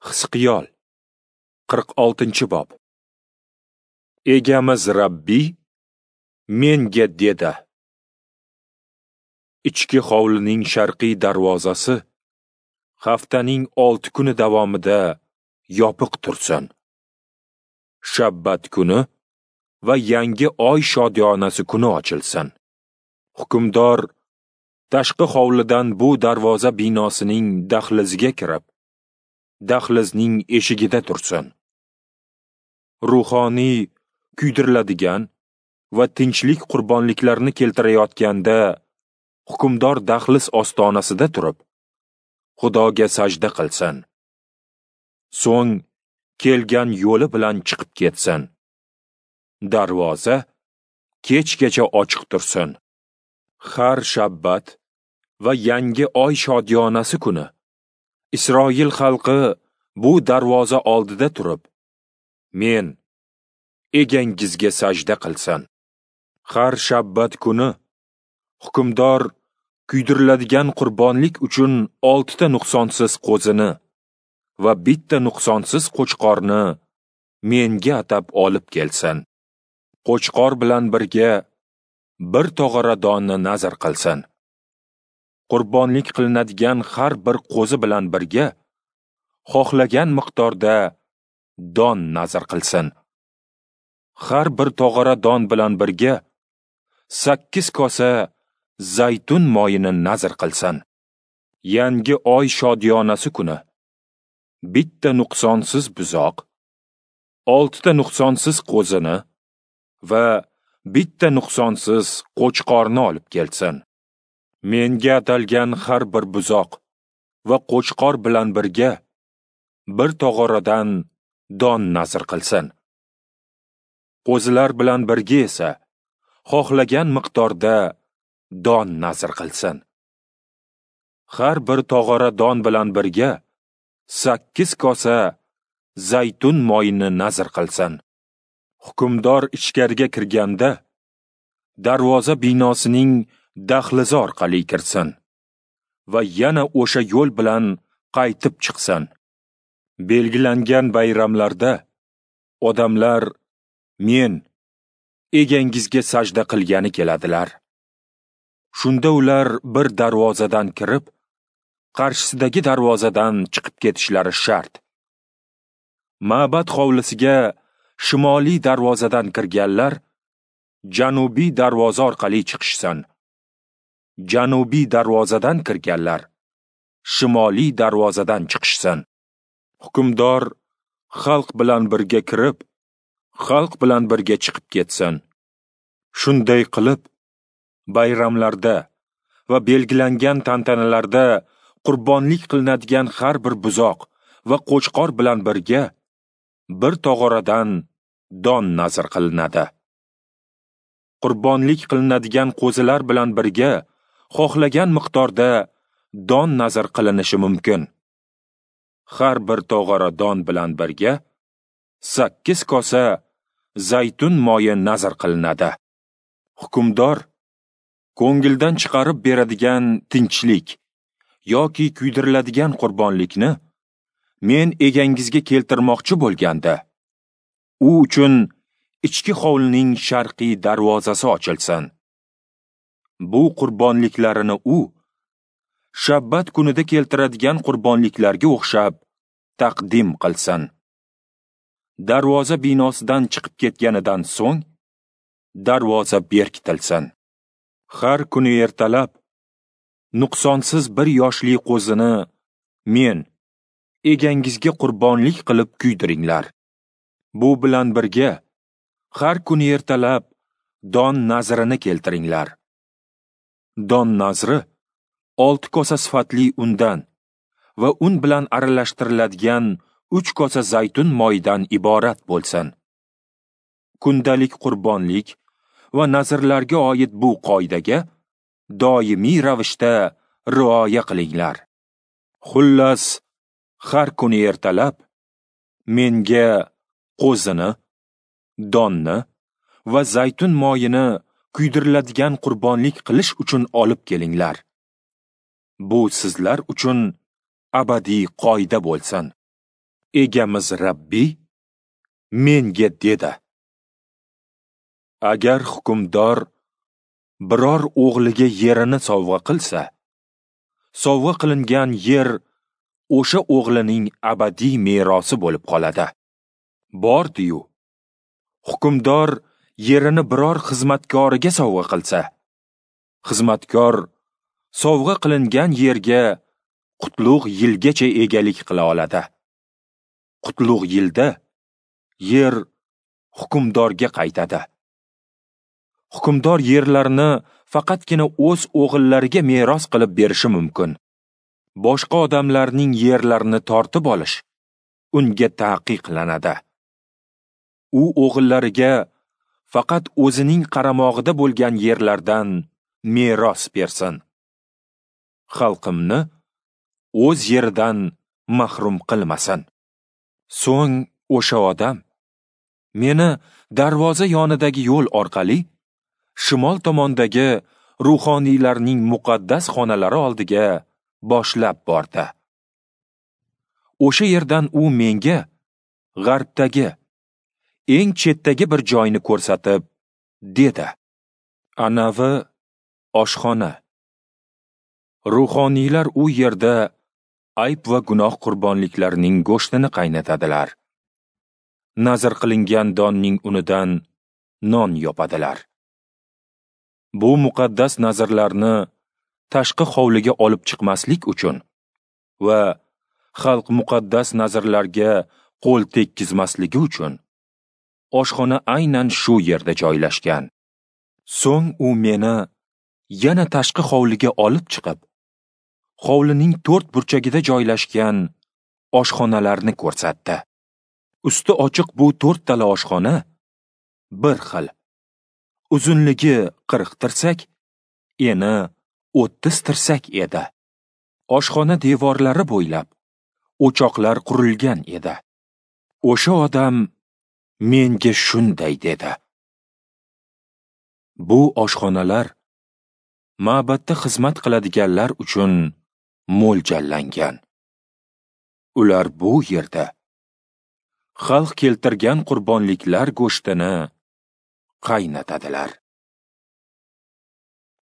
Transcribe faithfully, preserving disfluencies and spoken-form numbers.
Hizqiyol qirq oltinchi bob. Egamiz Rabbiy menga dedi: Ichki hovlining sharqiy darvozasi haftaning olti kuni davomida yopiq tursin. Shabbat kuni va yangi oy shodiyonasi kuni ochilsin. Hukmdor tashqi hovlidan bu darvoza binosining dahliziga kirib, dahlizning eshigida tursin. Ruhoniy kuydiriladigan va tinchlik qurbonliklarini keltirayotganda hukmdor dahliz ostonasida turib, Xudoga sajda qilsin. So'ng kelgan yo'li bilan chiqib ketsin. Darvoza kechgacha ochiq tursin. Har shabbat va yangi oy shodiyonasi kuni Isroil xalqi bu darvoza oldida turib, men egangizga sajda qilsin. Har shabbat kuni hukmdor kuydiriladigan qurbonlik uchun oltita nuqsonsiz qo'zini va bitta nuqsonsiz qo'chqorni menga atab olib kelsin. Qo'chqor bilan birga bir tog'ora donni nazr qilsin. Qurbonlik qilinadigan har bir qo'zi bilan birga xohlagan miqdorda don nazr qilsin. Har bir tog'ora don bilan birga sakkiz kosa zaytun moyini nazr qilsin. Yangi oy shodiyonasi kuni bitta nuqsonsiz buzoq, oltita nuqsonsiz qo'zini va bitta nuqsonsiz qo'chqorni olib kelsin. Menga atalgan har bir buzoq va qo'chqor bilan birga bir tog'oradan don nazr qilsin. Qo'zilar bilan birga esa xohlagan miqdorda don nazr qilsin. Har bir tog'ora don bilan birga sakkiz kosa zaytun moyini nazr qilsin. Hukmdor ichkariga kirganda darvoza binosining dahlizi orqali kirsin va yana o'sha yo'l bilan qaytib chiqsin. Belgilangan bayramlarda odamlar men egangizga sajda qilgani keladilar. Shunda ular bir darvozadan kirib, qarshisidagi darvozadan chiqib ketishlari shart. Ma'bad hovlisiga shimoliy darvozadan kirganlar janubiy darvoza orqali chiqishsin. Janubiy darvozadan kirganlar shimoliy darvozadan chiqishsin. Hukmdor xalq bilan birga kirib, xalq bilan birga chiqib ketsin. Shunday qilib, bayramlarda va belgilangan tantanalarda qurbonlik qilinadigan har bir buzoq va qo'chqor bilan birga bir tog'oradan don nazr qilinadi. Qurbonlik qilinadigan qo'zilar bilan birga xohlagan miqdorda don nazr qilinishi mumkin. Har bir tog'ora don bilan birga sakkiz kosa zaytun moyi nazr qilinadi. Hukmdor ko'ngildan chiqarib beradigan tinchlik yoki kuydiriladigan qurbonlikni men egangizga keltirmoqchi bo'lganda, u uchun ichki hovlining sharqiy darvozasi ochilsin. Bu qurbonliklarini u shabbat kunida keltiradigan qurbonliklarga o'xshab taqdim qilsin. Darvoza binosidan chiqib ketganidan so'ng darvoza berkitilsin. Har kuni ertalab nuqsonsiz bir yoshli qo'zini men egangizga qurbonlik qilib kuydiringlar. Bu bilan birga har kuni ertalab don nazrini keltiringlar. Don nazri olti kosa sifatli undan va un bilan aralashtiriladigan uch kosa zaytun moyidan iborat bo'lsin. Kundalik qurbonlik va nazrlarga oid bu qoidaga doimiy ravishda rioya qilinglar. Xullas, har kuni ertalab menga qo'zini, donni va zaytun moyini kuydiriladigan qurbonlik qilish uchun olib kelinglar. Bu sizlar uchun abadiy qoida bo'lsin. Egamiz Rabbiy menga dedi: agar hukmdor biror o'g'liga yerini sovg'a qilsa, sovg'a qilingan yer o'sha o'g'lining abadiy merosi bo'lib qoladi. Bordi-yu, hukmdor yerini biror xizmatkoriga sovg'a qilsa, xizmatkor sovg'a qilingan yerga qutlug' yilgacha egalik qila oladi. Qutlug' yilda yer hukmdorga qaytadi. Hukmdor yerlarni faqatgina o'z o'g'illariga meros qilib berishi mumkin. Boshqa odamlarning yerlarini tortib olish unga taqiqlanadi. U o'g'illariga faqat o'zining qaramog'ida bo'lgan yerlardan meros bersin. Xalqimni o'z yeridan mahrum qilmasin. So'ng o'sha odam meni darvoza yonidagi yo'l orqali shimol tomondagi ruhoniylarning muqaddas xonalari oldiga boshlab bordi. O'sha yerdan u menga g'arbdagi eng chetdagi bir joyni ko'rsatib dedi: Anavi oshxona. Ruhoniylar u yerda ayb va gunoh qurbonliklarining go'shtini qaynatadilar. Nazr qilingan donning unidan non yopadilar. Bu muqaddas nazrlarni tashqi hovliga olib chiqmaslik uchun va xalq muqaddas nazrlarga qo'l tekkizmasligi uchun oshxona aynan shu yerda joylashgan. So'ng u meni yana tashqi hovliga olib chiqib, hovlining to'rt burchagida joylashgan oshxonalarni ko'rsatdi. Usti ochiq bu to'rttala oshxona bir xil. Uzunligi qirq tirsak, eni o'ttiz tirsak edi. Oshxona devorlari bo'ylab o'choqlar qurilgan edi. O'sha odam menga shunday dedi: Bu oshxonalar ma'batda xizmat qiladiganlar uchun mo'ljallangan. Ular bu yerda xalq keltirgan qurbonliklar go'shtini qaynatadilar.